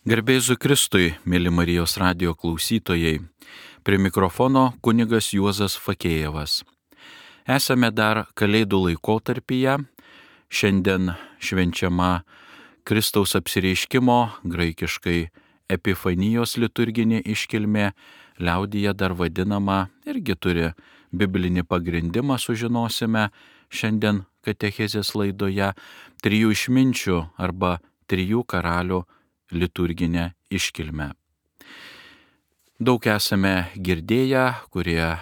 Garbė Jėzui Kristui, mėly Marijos radijo klausytojai, prie mikrofono kunigas Juozas Fakėjevas. Esame dar Kalėdų laikotarpyje, šiandien švenčiama Kristaus apsireiškimo, graikiškai Epifanijos liturginė iškilmė, liaudyje dar vadinama, irgi turi biblinį pagrindimą, sužinosime šiandien katechezės laidoje, trijų išminčių arba trijų karalių liturginę iškilmę. Daug esame girdėję, kurie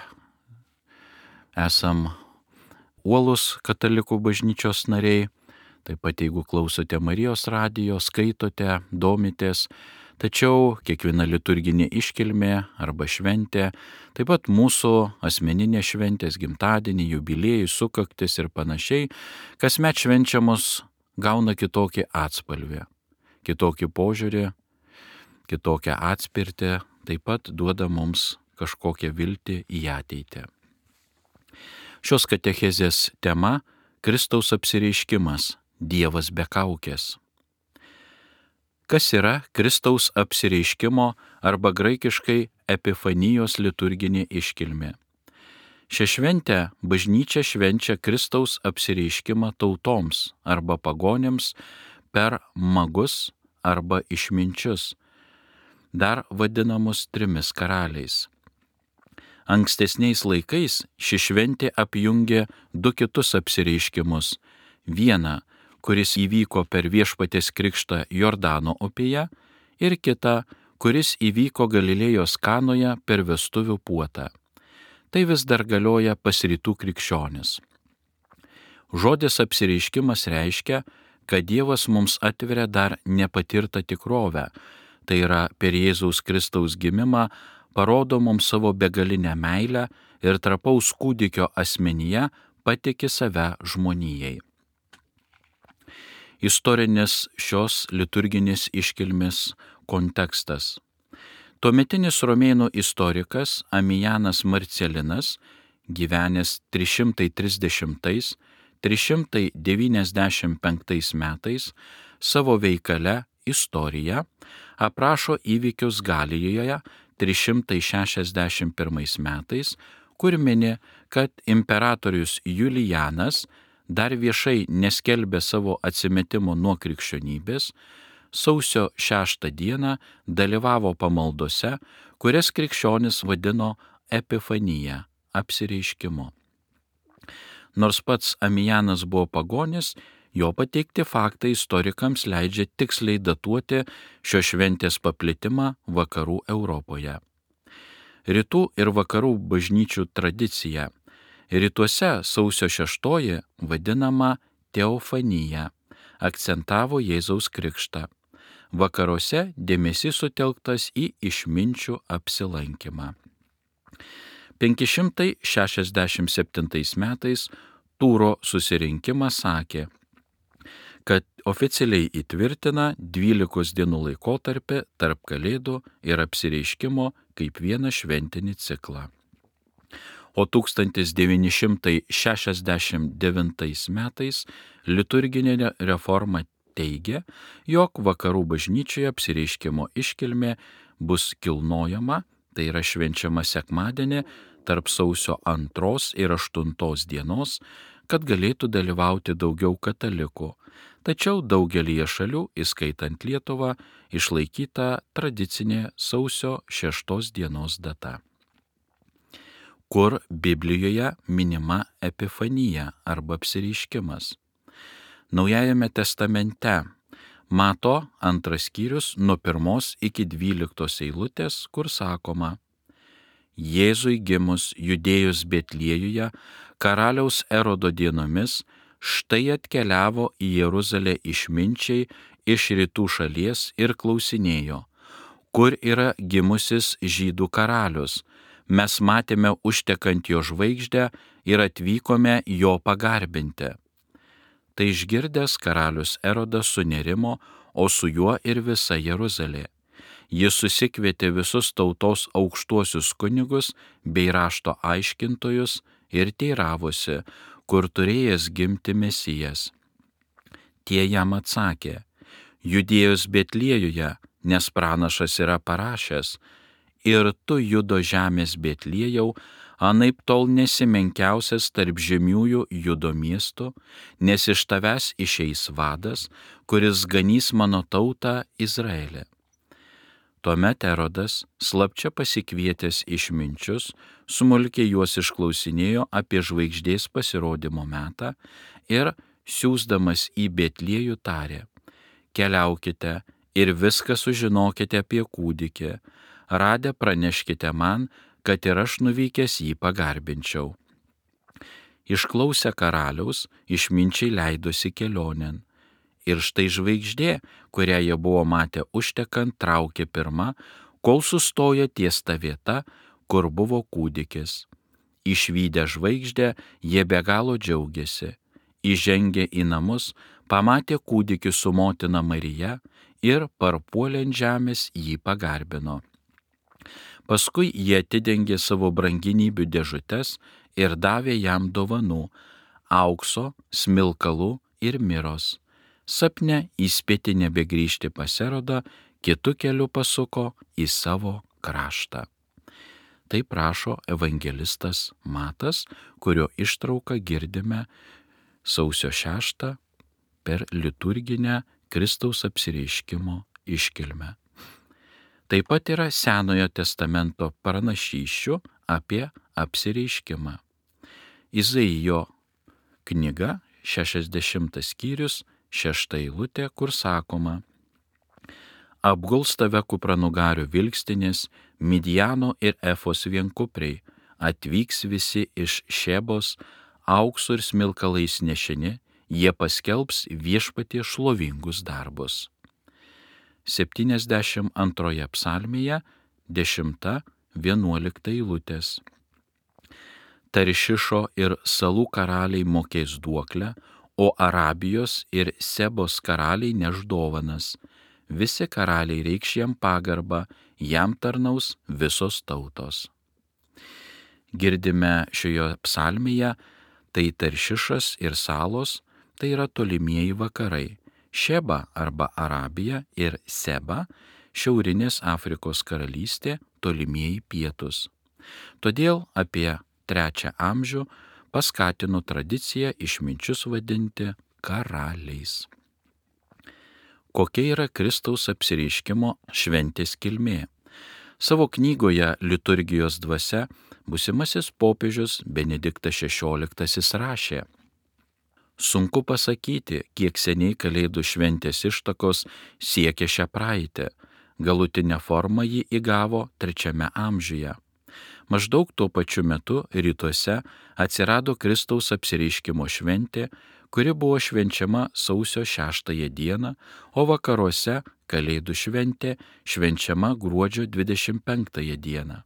esam uolus katalikų bažnyčios nariai, taip pat jeigu klausote Marijos radijo, skaitote, domitės, tačiau kiekviena liturginė iškilmė arba šventė, taip pat mūsų asmeninė šventės, gimtadienį, jubiliejai, sukaktis ir panašiai, kasmet švenčiamos gauna kitokį atspalvį, kitokį požiūrį, kitokią atspirtį, taip pat duoda mums kažkokią viltį į ateitį. Šios katechezės tema – Kristaus apsireiškimas, Dievas be kaukės. Kas yra Kristaus apsireiškimo arba graikiškai Epifanijos liturginė iškilmė? Šią šventę bažnyčia švenčia Kristaus apsireiškimą tautoms arba pagonims per magus arba išminčius, dar vadinamus trimis karaliais. Ankstesniais laikais ši šventė apjungė du kitus apsireiškimus. Vieną, kuris įvyko per Viešpaties krikštą Jordano upėje, ir kitą, kuris įvyko Galilėjos Kanoje per vestuvių puotą. Tai vis dar galioja pas rytų krikščionis. Žodis apsireiškimas reiškia, kad Dievas mums atveria dar nepatirtą tikrovę, tai yra per Jėzaus Kristaus gimimą parodo mums savo begalinę meilę ir trapaus kūdikio asmenyje patiki save žmonijai. Istorinis šios liturginės iškilmės kontekstas. Tuometinis romėnų istorikas Amijanas Marcelinas, gyvenęs 330–395 metais, savo veikale Istorija aprašo įvykius Galijoje 361 metais, kur mini, kad imperatorius Julijanas dar viešai neskelbė savo atsimetimo nuo krikščionybės, sausio 6 dieną dalyvavo pamaldose, kurias krikščionis vadino Epifanija, apsireiškimu. Nors pats Amijanas buvo pagonis, jo pateikti faktai istorikams leidžia tiksliai datuoti šios šventės paplitimą vakarų Europoje. Rytų ir vakarų bažnyčių tradicija. Rytuose sausio 6 vadinama Teofanija, akcentavo Jėzaus krikštą. Vakaruose dėmesys sutelktas į išminčių apsilankymą. 567 metais Tūro susirinkimas sakė, kad oficialiai įtvirtina 12 dienų laikotarpį tarp Kalėdų ir apsireiškimo kaip vieną šventinį ciklą. O 1969 metais liturginė reforma teigia, jog vakarų bažnyčioje apsireiškimo iškilmė bus kilnojama, tai yra švenčiama sekmadienį tarp sausio 2 ir 8 dienos, kad galėtų dalyvauti daugiau katalikų. Tačiau daugelyje šalių, įskaitant Lietuvą, išlaikyta tradicinė sausio 6 dienos data. Kur Biblijoje minima Epifanija arba apsireiškimas? Naujajame testamente Mato 2 skyrius nuo 1 iki 12 eilutės, kur sakoma: Jėzui gimus Judėjos Betliejuje, karaliaus Erodo dienomis, štai atkeliavo į Jeruzalę išminčiai iš rytų šalies ir klausinėjo, kur yra gimusis žydų karalius. Mes matėme užtekant jo žvaigždę ir atvykome jo pagarbinti. Tai išgirdęs karalius Erodas sunerimo, o su juo ir visa Jeruzalė. Jis susikvietė visus tautos aukštuosius kunigus bei rašto aiškintojus ir teiravosi, kur turėjęs gimti Mesijas. Tie jam atsakė: Judėjos Betliejuje, nes pranašas yra parašęs: ir tu, Judo žemės Betliejau, anaip tol nesi menkiausias tarp žemiųjų Judo miestų, nes iš tavęs išeis vadas, kuris ganys mano tautą Izraelį. Tuomet Erodas, slapčia pasikvietęs išminčius, smulkiai juos išklausinėjo apie žvaigždės pasirodymo metą ir, siųsdamas į Betliejų, tarė: keliaukite ir viską sužinokite apie kūdikį, radę praneškite man, kad ir aš nuvykęs jį pagarbinčiau. Išklausę karaliaus, išminčiai leidosi kelionėn. Ir štai žvaigždė, kurią jie buvo matę užtekant, traukė pirma, kol sustojo ties ta vieta, kur buvo kūdikis. Išvydę žvaigždę, jie be galo džiaugiasi. Įžengę į namus, pamatė kūdikį su motina Marija ir parpuolė ant žemės jį pagarbino. Paskui jie atidengė savo branginybių dėžutes ir davė jam dovanų - aukso, smilkalų ir miros. Sapne įspėti nebegrįžti pas Erodą, kitu keliu pasuko į savo kraštą. Tai prašo evangelistas Matas, kurio ištrauką girdime sausio 6 per liturginę Kristaus apsireiškimo iškilmę. Taip pat yra Senojo testamento pranašysčių apie apsireiškimą. Izaijo knyga, 60 skyrius, 6 eilutė, kur sakoma: apguls tave kupranugarių vilkstinės, Midjano ir Efos vienkupriai, atvyks visi iš Šebos, auksu ir smilkalais nešini, jie paskelbs Viešpaties šlovingus darbus. 72 psalmėje 10-11 eilutės. Taršišo ir salų karaliai mokės duoklę, o Arabijos ir Sebos karaliai neš dovanas. Visi karaliai reikš jam pagarbą, jam tarnaus visos tautos. Girdime šioje psalmėje, tai Taršišas ir salos, tai yra tolimieji vakarai. Šeba arba Arabija ir Seba, šiaurinės Afrikos karalystė, tolimieji pietus. Todėl apie 3 amžių paskatino tradiciją išminčius vadinti karaliais. Kokia yra Kristaus apsireiškimo šventės kilmė? Savo knygoje Liturgijos dvasia būsimasis popiežius Benediktas XVI rašė: sunku pasakyti, kiek seniai Kalėdų šventės ištakos siekia šią praeitį. Galutinę formą ji įgavo 3 amžiuje. Maždaug tuo pačiu metu rytuose atsirado Kristaus apsireiškimo šventė, kuri buvo švenčiama sausio 6 dieną, o vakaruose Kalėdų šventė švenčiama gruodžio 25 dieną.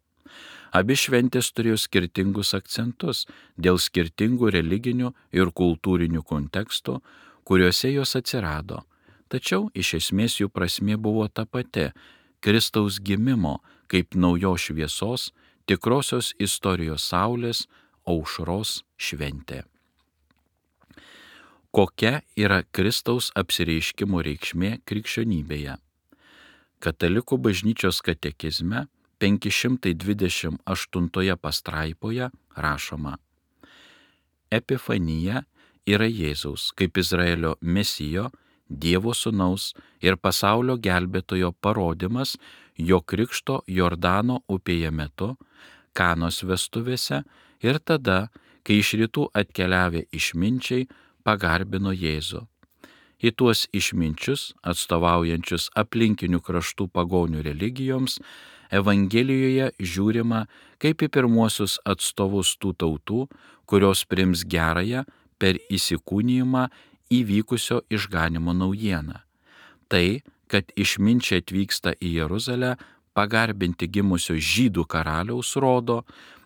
Abi šventės turėjo skirtingus akcentus dėl skirtingų religinių ir kultūrinių kontekstų, kuriuose jos atsirado. Tačiau iš esmės jų prasmė buvo ta pati - Kristaus gimimo kaip naujos šviesos, tikrosios istorijos saulės, aušros šventė. Kokia yra Kristaus apsireiškimo reikšmė krikščionybėje? Katalikų bažnyčios katekizme 528 pastraipoje rašoma: Epifanija yra Jėzaus kaip Izraelio mesijo, Dievo sūnaus ir pasaulio gelbėtojo parodymas jo krikšto Jordano upėje metu, Kanos vestuvėse ir tada, kai iš rytų atkeliavę išminčiai pagarbino Jėzų. Į tuos išminčius, atstovaujančius aplinkinių kraštų pagonių religijoms, Evangelijoje žiūrima kaip į pirmuosius atstovus tų tautų, kurios priims gerąją per įsikūnijimą įvykusio išganimo naujieną. Tai, kad išminčiai atvyksta į Jeruzalę pagarbinti gimusio žydų karaliaus, rodo,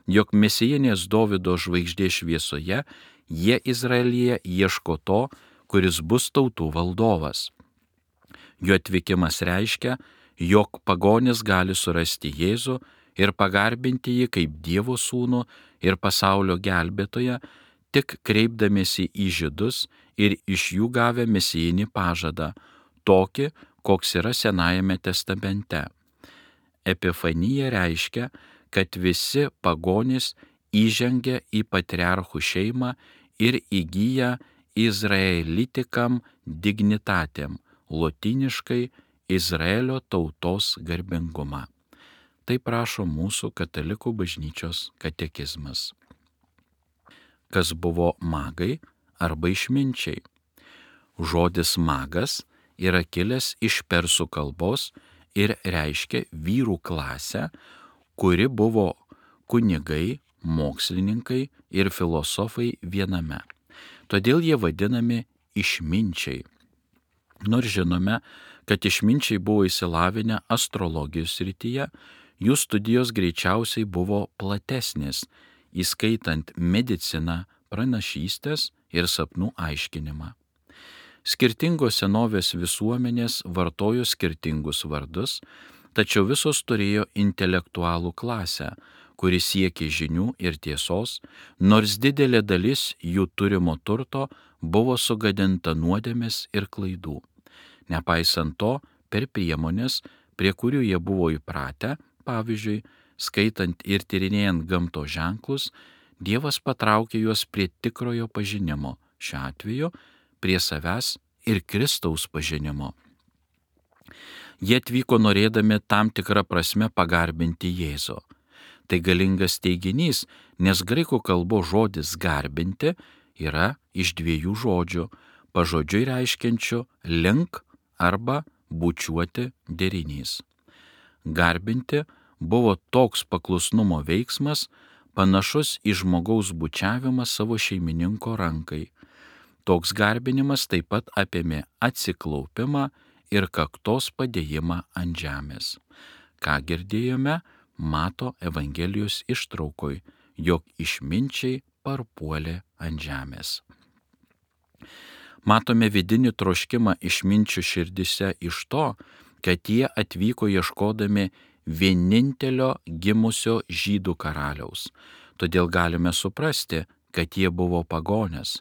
jog mesijinės Dovydo žvaigždės šviesoje jie Izraelyje ieško to, kuris bus tautų valdovas. Jo atvykimas reiškia, jog pagonis gali surasti Jėzų ir pagarbinti jį kaip Dievo sūnų ir pasaulio gelbėtoją, tik kreipdamiesi į žydus ir iš jų gavę mesijinį pažadą, tokį, koks yra Senajame testamente. Epifanija reiškia, kad visi pagonys įžengia į patriarchų šeimą ir įgyja izraelitikam dignitatėm, lotyniškai Izraelio tautos garbingumą. Tai prašo mūsų katalikų bažnyčios katekizmas. Kas buvo magai arba išminčiai? Žodis magas yra kilęs iš persų kalbos ir reiškia vyrų klasę, kuri buvo kunigai, mokslininkai ir filosofai viename. Todėl jie vadinami išminčiai. Nors žinome, kad išminčiai buvo įsilavinę astrologijos srityje, jų studijos greičiausiai buvo platesnės, įskaitant mediciną, pranašystės ir sapnų aiškinimą. Skirtingos senovės visuomenės vartojo skirtingus vardus, tačiau visos turėjo intelektualų klasę, kuri siekė žinių ir tiesos, nors didelė dalis jų turimo turto buvo sugadinta nuodėmės ir klaidų. Nepaisant to, per priemonės, prie kurių jie buvo įpratę, pavyzdžiui, skaitant ir tyrinėjant gamtos ženklus, Dievas patraukė juos prie tikrojo pažinimo, šiuo atveju prie savęs ir Kristaus pažinimo. Jie atvyko norėdami tam tikrą prasme pagarbinti Jėzų. Tai galingas teiginys, nes graikų kalbos žodis garbinti yra iš dviejų žodžių, pažodžiui reiškiančių link arba bučiuoti derinys. Garbinti buvo toks paklusnumo veiksmas, panašus į žmogaus bučiavimą savo šeimininko rankai. Toks garbinimas taip pat apėmė atsiklaupimą ir kaktos padėjimą ant žemės. Ką girdėjome Mato Evangelijos ištraukoj, jog išminčiai parpuolė ant žemės. Matome vidinį troškimą išminčių širdise iš to, kad jie atvyko ieškodami vienintelio gimusio žydų karaliaus. Todėl galime suprasti, kad jie buvo pagonės.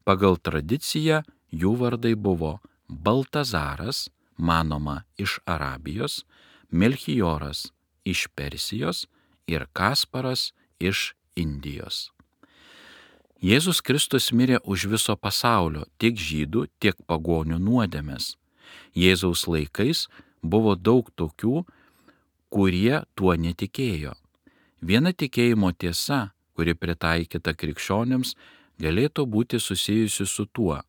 Pagal tradiciją jų vardai buvo Baltazaras, manoma iš Arabijos, Melchioras iš Persijos ir Kasparas iš Indijos. Jėzus Kristus mirė už viso pasaulio, tiek žydų, tiek pagonių nuodėmes. Jėzaus laikais buvo daug tokių, kurie tuo netikėjo. Viena tikėjimo tiesa, kuri pritaikyta krikščionims, galėtų būti susijusi su tuo,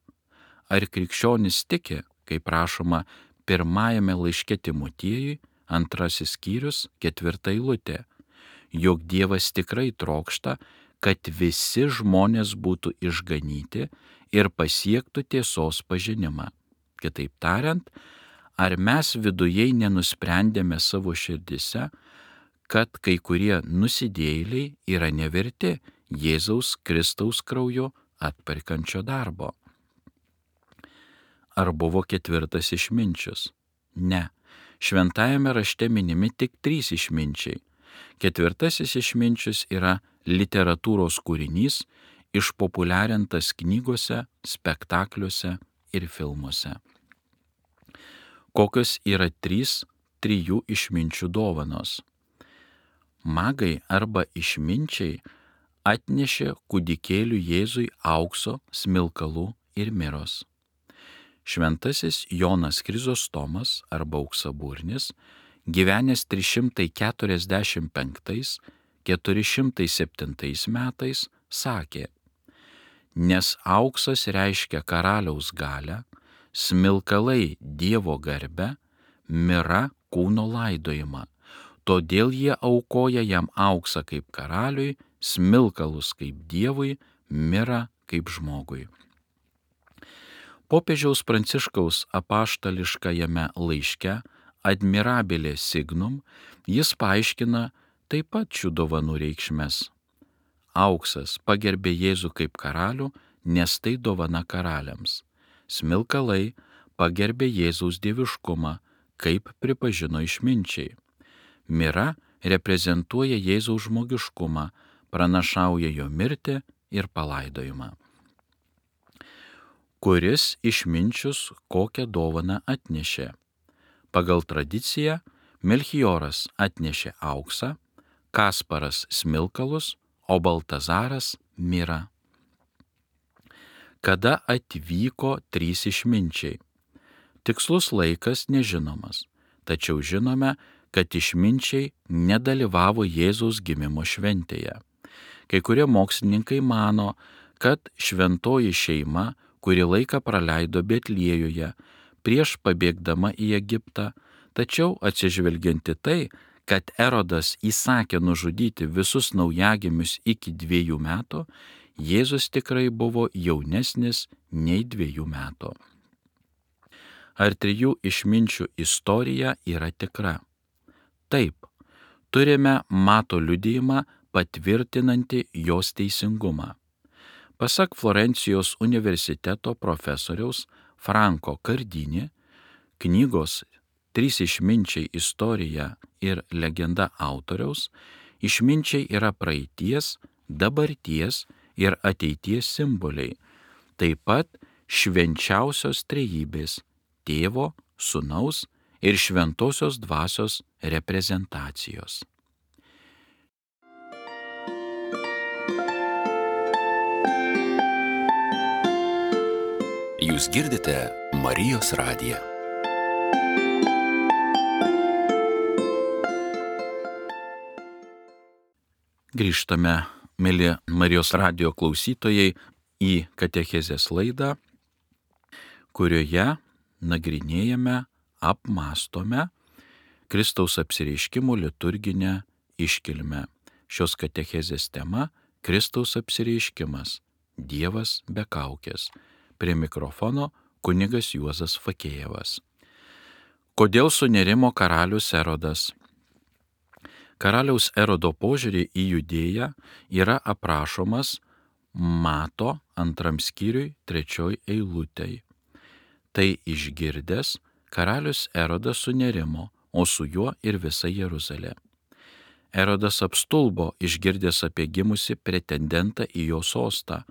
ar krikščionis tiki, kaip rašoma pirmajame laiške Timotiejui, 2 skyrius, 4 eilutė, jog Dievas tikrai trokšta, kad visi žmonės būtų išganyti ir pasiektų tiesos pažinimą. Kitaip tariant, ar mes vidujei nenusprendėme savo širdise, kad kai kurie nusidėjėliai yra neverti Jėzaus Kristaus krauju atperkančio darbo? Ar buvo ketvirtas išminčius? Ne. Šventajame rašte minimi tik 3 išminčiai. Ketvirtasis išminčius yra literatūros kūrinys, išpopuliarintas knygose, spektakliuose ir filmuose. Kokios yra 3 išminčių dovanos? Magai arba išminčiai atnešė kūdikėliui Jėzui aukso, smilkalų ir miros. Šventasis Jonas Krizostomas arba Auksaburnis, gyvenęs 345–407 metais, sakė: nes auksas reiškia karaliaus galią, smilkalai Dievo garbę, mira kūno laidojimą. Todėl jie aukoja jam auksą kaip karaliui, smilkalus kaip Dievui, mirą kaip žmogui. Popiežiaus Pranciškaus apaštališkajame laiške Admirabile Signum jis paaiškina taip pat šių dovanų reikšmes. Auksas pagerbė Jėzų kaip karalių, nes tai dovana karaliams. Smilkalai pagerbė Jėzaus dieviškumą, kaip pripažino išminčiai. Mira reprezentuoja Jėzaus žmogiškumą, pranašauja jo mirtį ir palaidojimą. Kuris išminčius kokią dovaną atnešė? Pagal tradiciją Melchioras atnešė auksą, Kasparas smilkalus, o Baltazaras mirą. Kada atvyko trys išminčiai? Tikslus laikas nežinomas, tačiau žinome, kad išminčiai nedalyvavo Jėzaus gimimo šventėje. Kai kurie mokslininkai mano, kad šventoji šeima kurį laiką praleido Betliejuje prieš pabėgdama į Egiptą, tačiau atsižvelgianti tai, kad Erodas įsakė nužudyti visus naujagimius iki 2 metų, Jėzus tikrai buvo jaunesnis nei 2 metų. Ar 3 išminčių istorija yra tikra? Taip, turime Mato liudijimą patvirtinantį jos teisingumą. Pasak Florencijos universiteto profesoriaus Franko Kardini, knygos 3 išminčiai istorija ir legenda autoriaus, išminčiai yra praeities, dabarties ir ateities simboliai, taip pat švenčiausios trejybės – Tėvo, Sūnaus ir Šventosios Dvasios reprezentacijos. Jūs girdite Marijos radiją. Grįžtame, mieli Marijos radijo klausytojai, į katechezės laidą, kurioje nagrinėjame, apmąstome Kristaus apsireiškimo liturginę iškilmę. Šios katechezės tema – Kristaus apsireiškimas, Dievas be kaukės. Prie mikrofono kunigas Juozas Fakėjevas. Kodėl sunerimo karalius Erodas? Karaliaus Erodo požiūrį į Judėją yra aprašomas Mato 2 skyriui 3 eilutei. Tai išgirdęs, karalius Erodas sunerimo, o su juo ir visa Jeruzalė. Erodas apstulbo išgirdęs apie gimusi pretendentą į jo sostą,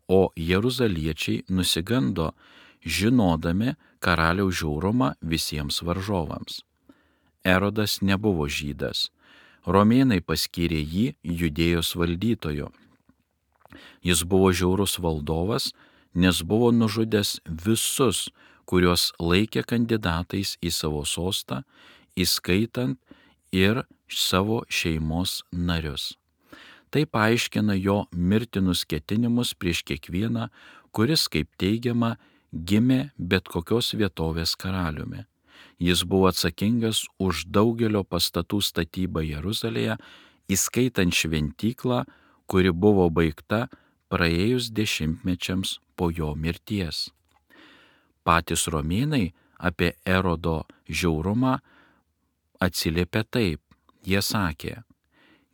o jeruzaliečiai nusigando, žinodami karaliaus žiaurumą visiems varžovams. Erodas nebuvo žydas. Romėnai paskyrė jį Judėjos valdytoju. Jis buvo žiaurus valdovas, nes buvo nužudęs visus, kuriuos laikė kandidatais į savo sostą, įskaitant ir savo šeimos narius. Tai paaiškina jo mirtinus ketinimus prieš kiekvieną, kuris, kaip teigiama, gimė bet kokios vietovės karaliumi. Jis buvo atsakingas už daugelio pastatų statybą Jeruzalėje, įskaitant šventyklą, kuri buvo baigta praėjus 10 po jo mirties. Patys romėnai apie Erodo žiaurumą atsiliepė taip. Jie sakė,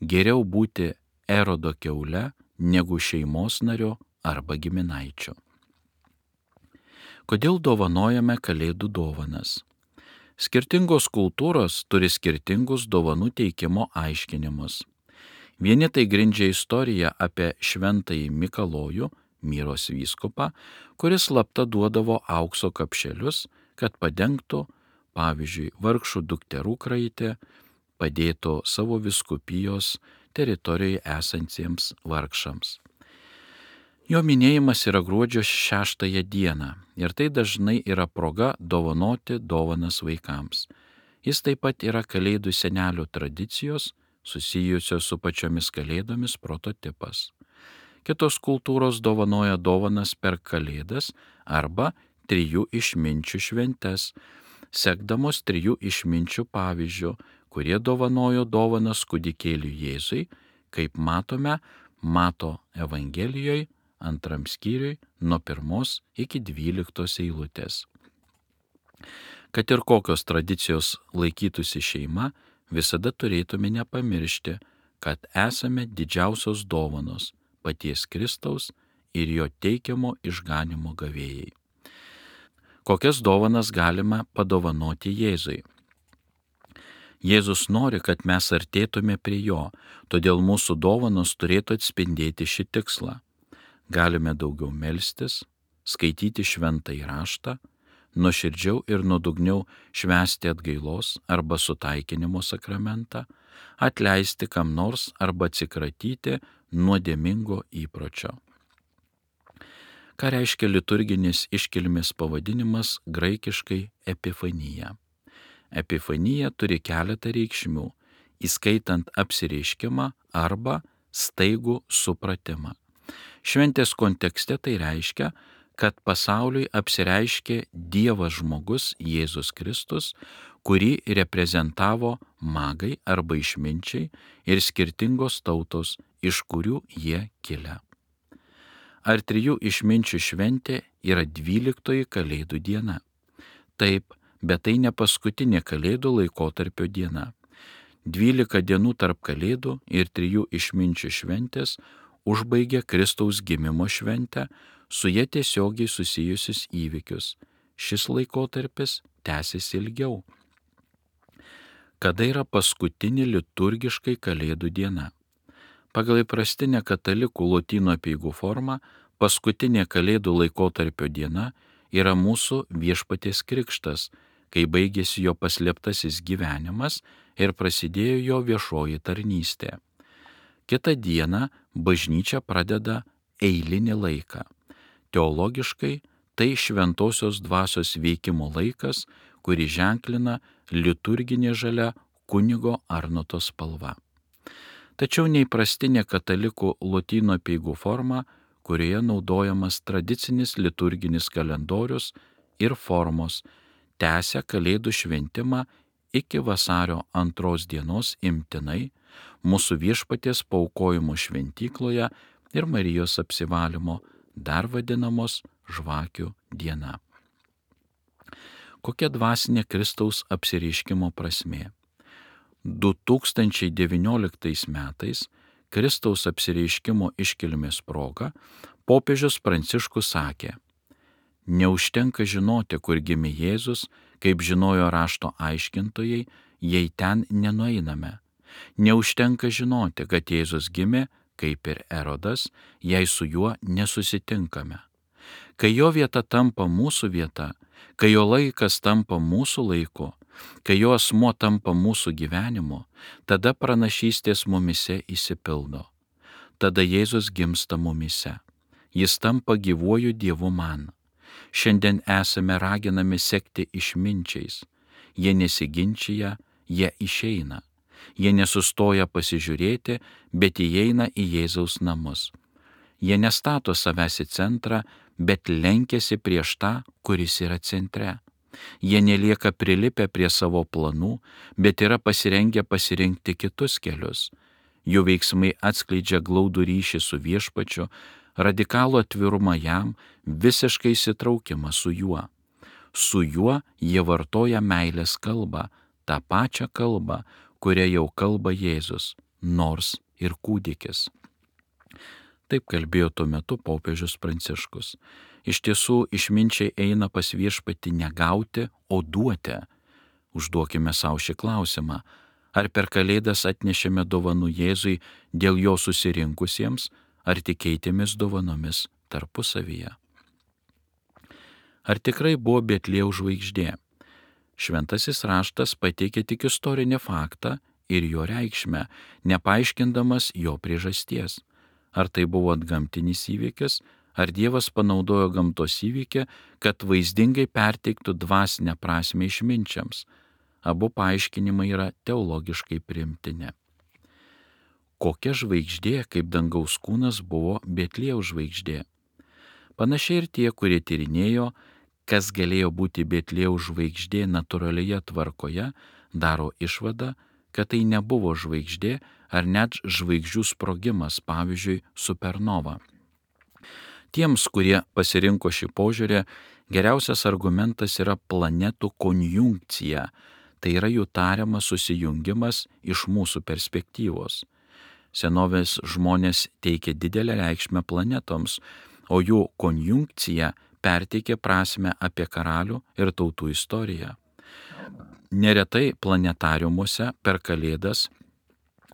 geriau būti Erodo kiaule negu šeimos nario arba giminaičio. Kodėl dovanojame Kalėdų dovanas? Skirtingos kultūros turi skirtingus dovanų teikimo aiškinimus. Vieni tai grindžia istoriją apie šventąjį Mikalojų, Myros vyskupą, kuris slapta duodavo aukso kapšelius, kad padengtų, pavyzdžiui, vargšų dukterų kraitę, padėtų savo vyskupijos teritorijoje esantiems vargšams. Jo minėjimas yra gruodžio 6 dieną ir tai dažnai yra proga dovanoti dovanas vaikams. Jis taip pat yra Kalėdų senelio tradicijos, susijusios su pačiomis Kalėdomis prototipas. Kitos kultūros dovanoja dovanas per Kalėdas arba 3 išminčių šventes, sekdamos 3 išminčių pavyzdžių, kurie dovanojo dovanas kūdikėliui Jėzui, kaip matome Mato Evangelijoje 2 skyriui nuo 1 iki 12 eilutės. Kad ir kokios tradicijos laikytųsi šeima, visada turėtume nepamiršti, kad esame didžiausios dovanos paties Kristaus ir jo teikiamo išganymo gavėjai. Kokias dovanas galima padovanoti Jėzui? Jėzus nori, kad mes artėtume prie jo, todėl mūsų dovanos turėtų atspindėti šį tikslą. Galime daugiau melstis, skaityti šventąjį raštą, nuoširdžiau ir nuodugniau švęsti atgailos arba sutaikinimo sakramentą, atleisti kam nors arba atsikratyti nuodėmingo įpročio. Ką reiškia liturginis iškilmės pavadinimas graikiškai epifanija? Epifanija turi keletą reikšmių, įskaitant apsireiškimą arba staigų supratimą. Šventės kontekste tai reiškia, kad pasauliui apsireiškė Dievas žmogus Jėzus Kristus, kurį reprezentavo magai arba išminčiai ir skirtingos tautos, iš kurių jie kilę. Ar trijų išminčių šventė yra 12 Kalėdų diena? Taip, bet tai ne paskutinė Kalėdų laikotarpio diena. 12 dienų tarp Kalėdų ir 3 išminčių šventės užbaigia Kristaus gimimo šventę, su jie tiesiogiai susijusius įvykius. Šis laikotarpis tęsiasi ilgiau. Kada yra paskutinė liturgiškai Kalėdų diena? Pagal įprastinę katalikų lotynų apeigų formą, paskutinė Kalėdų laikotarpio diena yra mūsų Viešpaties krikštas, kai baigėsi jo paslėptasis gyvenimas ir prasidėjo jo viešoji tarnystė. Kitą dieną bažnyčia pradeda eilinį laiką. Teologiškai tai šventosios dvasios veikimo laikas, kurį ženklina liturginė žalia kunigo Arnoto spalva. Tačiau neįprastinė katalikų lotynų apeigų forma, kurioje naudojamas tradicinis liturginis kalendorius ir formos, tęsia Kalėdų šventimą iki vasario 2 dienos imtinai mūsų Viešpaties paaukojimo šventykloje ir Marijos apsivalymo, dar vadinamos žvakių diena. Kokia dvasinė Kristaus apsireiškimo prasmė? 2019 metais Kristaus apsireiškimo iškilmės proga popiežius Pranciškus sakė: neužtenka žinoti, kur gimė Jėzus, kaip žinojo rašto aiškintojai, jei ten nenueiname. Neužtenka žinoti, kad Jėzus gimė, kaip ir Erodas, jei su juo nesusitinkame. Kai jo vieta tampa mūsų vieta, kai jo laikas tampa mūsų laiku, kai jo asmuo tampa mūsų gyvenimu, tada pranašystės mumise išsipildo. Tada Jėzus gimsta mumise. Jis tampa gyvuoju Dievu man. Šiandien esame raginami sekti išminčiais. Jie nesiginčia, jie išeina. Jie nesustoja pasižiūrėti, bet įeina į Jėzaus namus. Jie nestato savęs į centrą, bet lenkiasi prieš tą, kuris yra centre. Jie nelieka prilipę prie savo planų, bet yra pasirengę pasirinkti kitus kelius. Jų veiksmai atskleidžia glaudų ryšį su Viešpačiu, radikalų atvirumą jam, visiškai įsitraukimą su juo. Su juo jie vartoja meilės kalbą, tą pačią kalbą, kurią jau kalba Jėzus, nors ir kūdikis. Taip kalbėjo tuo metu popiežius Pranciškus. Iš tiesų, išminčiai eina pas Viešpatį ne gauti, o duoti. Užduokime savo šį klausimą. Ar per Kalėdas atnešėme dovanų Jėzui dėl jo susirinkusiems, ar tik keitėmės dovanomis tarpusavyje? Ar tikrai buvo Betliejaus žvaigždė? Šventasis raštas pateikė tik istorinį faktą ir jo reikšmę, nepaaiškindamas jo priežasties. Ar tai buvo antgamtinis įvykis, ar Dievas panaudojo gamtos įvykį, kad vaizdingai perteiktų dvasinę prasmę išminčiams? Abu paaiškinimai yra teologiškai priimtini. Kokia žvaigždė, kaip dangaus kūnas, buvo Betliejaus žvaigždė? Panašiai ir tie, kurie tyrinėjo, kas galėjo būti Betliejaus žvaigždė natūralioje tvarkoje, daro išvadą, kad tai nebuvo žvaigždė ar net žvaigždžių sprogimas, pavyzdžiui, supernova. Tiems, kurie pasirinko šį požiūrį, geriausias argumentas yra planetų konjunkcija, tai yra jų tariamas susijungimas iš mūsų perspektyvos. Senovės žmonės teikė didelę reikšmę planetoms, o jų konjunkcija perteikė prasmę apie karalių ir tautų istoriją. Neretai planetariumuose per Kalėdas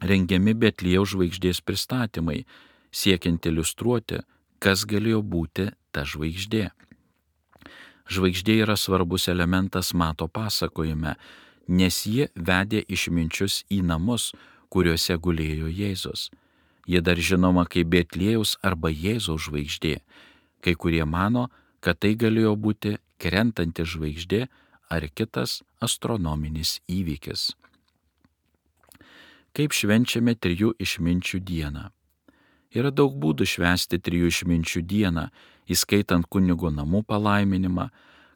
rengiami Betliejaus žvaigždės pristatymai, siekiant iliustruoti, kas galėjo būti ta žvaigždė. Žvaigždė yra svarbus elementas Mato pasakojime, nes ji vedė išminčius į namus, kuriuose gulėjo Jėzus. Ji dar žinoma kaip Betliejaus arba Jėzaus žvaigždė. Kai kurie mano, kad tai galėjo būti krentanti žvaigždė ar kitas astronominis įvykis. Kaip švenčiame trijų išminčių dieną? Yra daug būdų švęsti trijų išminčių dieną, įskaitant kunigo namų palaiminimą,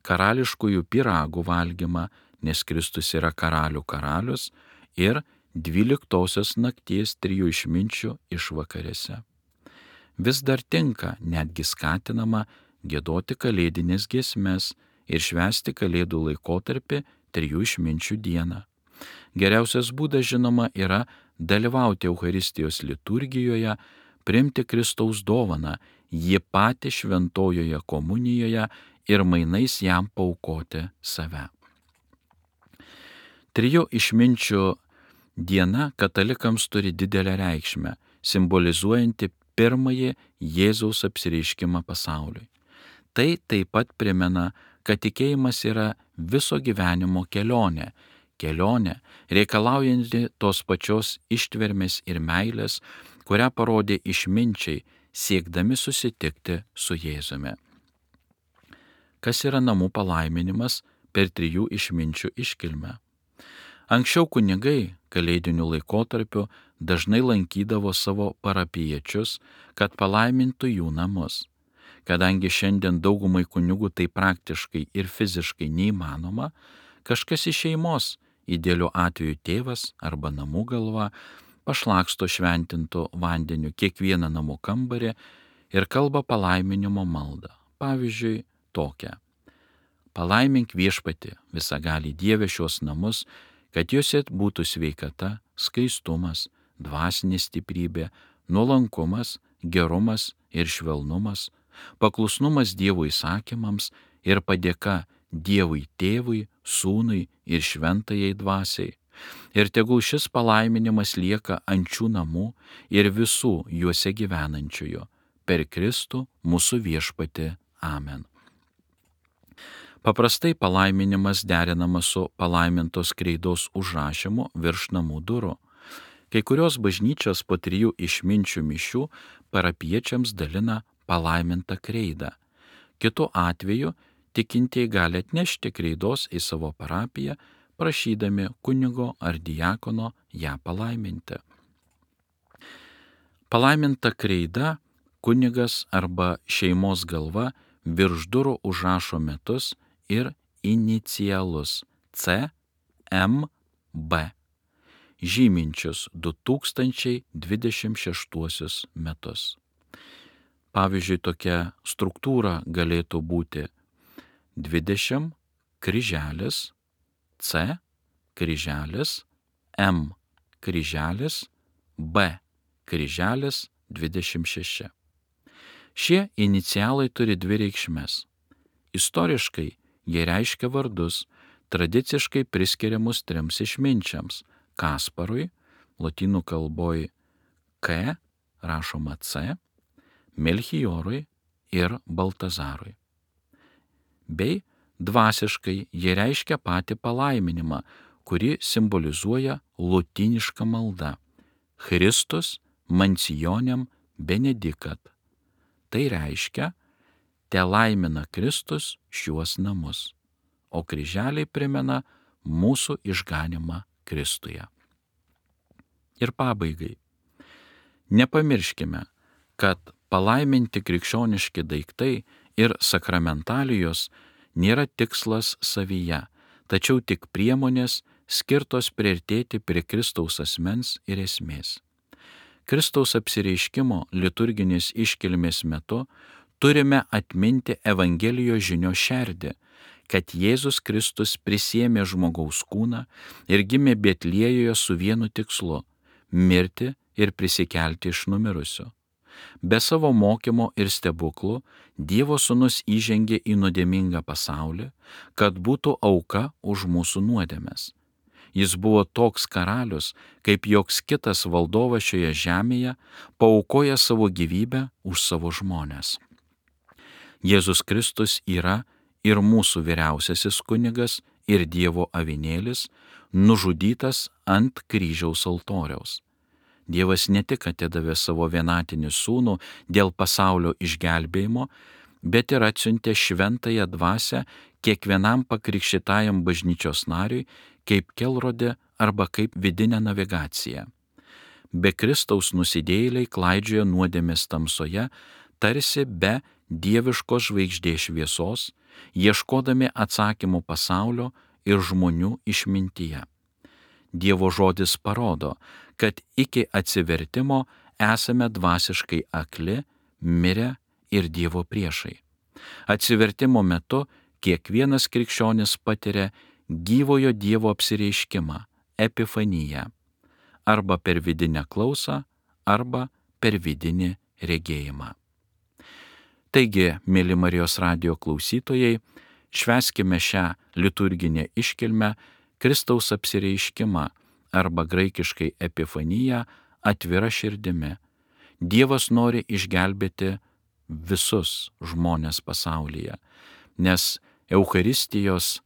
karališkųjų pyragų valgymą, nes Kristus yra karalių karalius, ir 12 nakties trijų išminčių išvakarėse. Vis dar tinka, netgi skatinama, giedoti kalėdinės giesmes ir švęsti kalėdų laikotarpį trijų išminčių dieną. Geriausias būdas, žinoma, yra dalyvauti Eucharistijos liturgijoje, priimti Kristaus dovaną, jį patį šventojoje komunijoje ir mainais jam paaukoti save. Trijų išminčių diena katalikams turi didelę reikšmę, simbolizuojanti pirmąjį Jėzaus apsireiškimą pasauliui. Tai taip pat primena, kad tikėjimas yra viso gyvenimo kelionė reikalaujanti tos pačios ištvermės ir meilės, kurią parodė išminčiai, siekdami susitikti su Jėzumi. Kas yra namų palaiminimas per trijų išminčių iškilmę? Anksčiau kunigai kalėdiniu laikotarpiu dažnai lankydavo savo parapijiečius, kad palaimintų jų namus. Kadangi šiandien daugumai kunigų tai praktiškai ir fiziškai neįmanoma, kažkas iš šeimos, idealiu atveju tėvas arba namų galva, pašlaksto šventintų vandeniu kiekvieną namų kambarį ir kalba palaiminimo maldą. Pavyzdžiui, tokią: Palaimink Viešpatį, visagalį Dieve, šios namus, kad juose būtų sveikata, skaistumas, dvasinė stiprybė, nuolankumas, gerumas ir švelnumas, paklusnumas Dievo įsakymams ir padėka Dievui Tėvui, Sūnui ir Šventajai Dvasiai. Ir tegul šis palaiminimas lieka ant šių namų ir visų juose gyvenančiųjų. Per Kristų mūsų Viešpatį. Amen. Paprastai palaiminimas derinamas su palaimintos kreidos užrašymu virš namų durų. Kai kurios bažnyčios po trijų išminčių mišių parapiečiams dalina palaimintą kreidą. Kitu atveju tikintieji gali atnešti kreidos į savo parapiją, prašydami kunigo ar diakono ją palaiminti. Palaiminta kreida kunigas arba šeimos galva virš durų užrašo metus ir inicialus C, M, B, žyminčius 2026 metus. Pavyzdžiui, tokia struktūra galėtų būti 20 kryželis, C kryželis, M kryželis, B kryželis 26. Šie inicialai turi dvi reikšmes. Istoriškai jie reiškia vardus, tradiciškai priskiriamus trims išminčiams – Kasparui, lotynų kalboj K, rašoma C, Melchiorui ir Baltazarui. Bei dvasiškai jie reiškia patį palaiminimą, kuri simbolizuoja lotynišką maldą – Christus mansionem benedicat. Tai reiškia, te laimina Kristus šiuos namus, o kryželiai primena mūsų išganimą Kristuje. Ir pabaigai. Nepamirškime, kad palaiminti krikščioniški daiktai ir sakramentalijos nėra tikslas savyje, tačiau tik priemonės skirtos priartėti prie Kristaus asmens ir esmės. Kristaus apsireiškimo liturginės iškilmės metu turime atminti Evangelijos žinios šerdį, kad Jėzus Kristus prisiėmė žmogaus kūną ir gimė Betliejoje su vienu tikslu – mirti ir prisikelti iš numirusių. Be savo mokymo ir stebuklų Dievo Sūnus įžengė į nuodėmingą pasaulį, kad būtų auka už mūsų nuodėmes. Jis buvo toks karalius, kaip joks kitas valdovas šioje žemėje, paaukoja savo gyvybę už savo žmones. Jėzus Kristus yra ir mūsų vyriausiasis kunigas ir Dievo avinėlis, nužudytas ant kryžiaus altoriaus. Dievas ne tik atidavė savo vienatinį sūnų dėl pasaulio išgelbėjimo, bet ir atsiuntė šventąją dvasią kiekvienam pakrikštytajam bažnyčios nariui kaip kelrodė arba kaip vidinę navigaciją. Be Kristaus nusidėjėliai klaidžioja nuodėmės tamsoje, tarsi be dieviškos žvaigždės šviesos, ieškodami atsakymų pasaulio ir žmonių išmintyje. Dievo žodis parodo, kad iki atsivertimo esame dvasiškai akli, mirę ir Dievo priešai. Atsivertimo metu kiekvienas krikščionis patiria gyvojo Dievo apsireiškimą, epifaniją, arba per vidinę klausą, arba per vidinį regėjimą. Taigi, mėly Marijos radijo klausytojai, švęskime šią liturginę iškilmę Kristaus apsireiškimą arba graikiškai epifaniją atvira širdimi. Dievas nori išgelbėti visus žmonės pasaulyje, nes Eucharistijos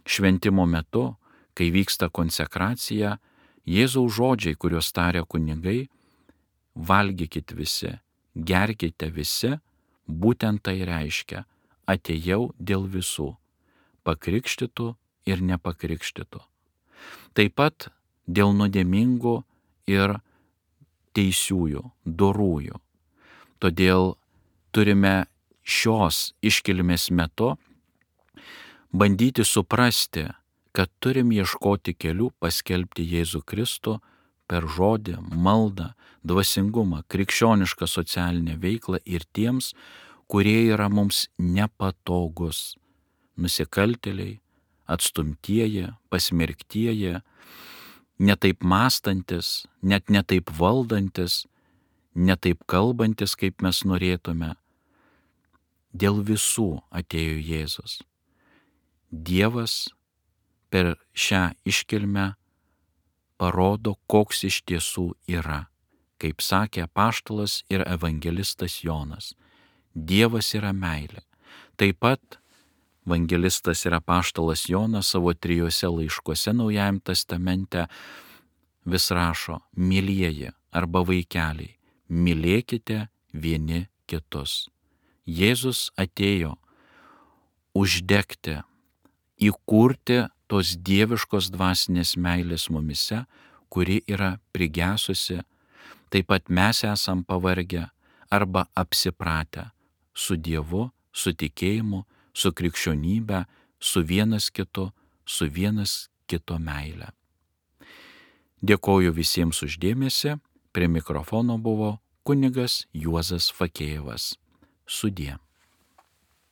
šventimo metu, kai vyksta konsekracija, Jėzaus žodžiai, kuriuos taria kunigai, valgykit visi, gerkite visi, būtent tai reiškia, atėjau dėl visų, pakrikštytų ir nepakrikštytų. Taip pat dėl nuodėmingų ir teisiųjų, dorųjų. Todėl turime šios iškilmės metu bandyti suprasti, kad turim ieškoti kelių paskelbti Jėzų Kristų per žodį, maldą, dvasingumą, krikščionišką socialinę veiklą ir tiems, kurie yra mums nepatogus, nusikaltėliai, atstumtieji, pasmerktieji, netaip mąstantis, net netaip valdantis, netaip kalbantis, kaip mes norėtume. Dėl visų atėjo Jėzus. Dievas per šią iškilmę parodo, koks iš tiesų yra, kaip sakė apaštalas ir evangelistas Jonas. Dievas yra meilė. Taip pat evangelistas ir apaštalas Jonas savo 3 laiškuose Naujajame testamente vis rašo: mylieji arba vaikeliai, mylėkite vieni kitus. Jėzus atėjo uždegti, įkurti tos dieviškos dvasinės meilės mumise, kuri yra prigesusi. Taip pat mes esam pavargę arba apsipratę su Dievu, su tikėjimu, su krikščionybe, su vienas kito meile. Dėkoju visiems už dėmesį. Prie mikrofono buvo kunigas Juozas Fakėjevas. Sudie.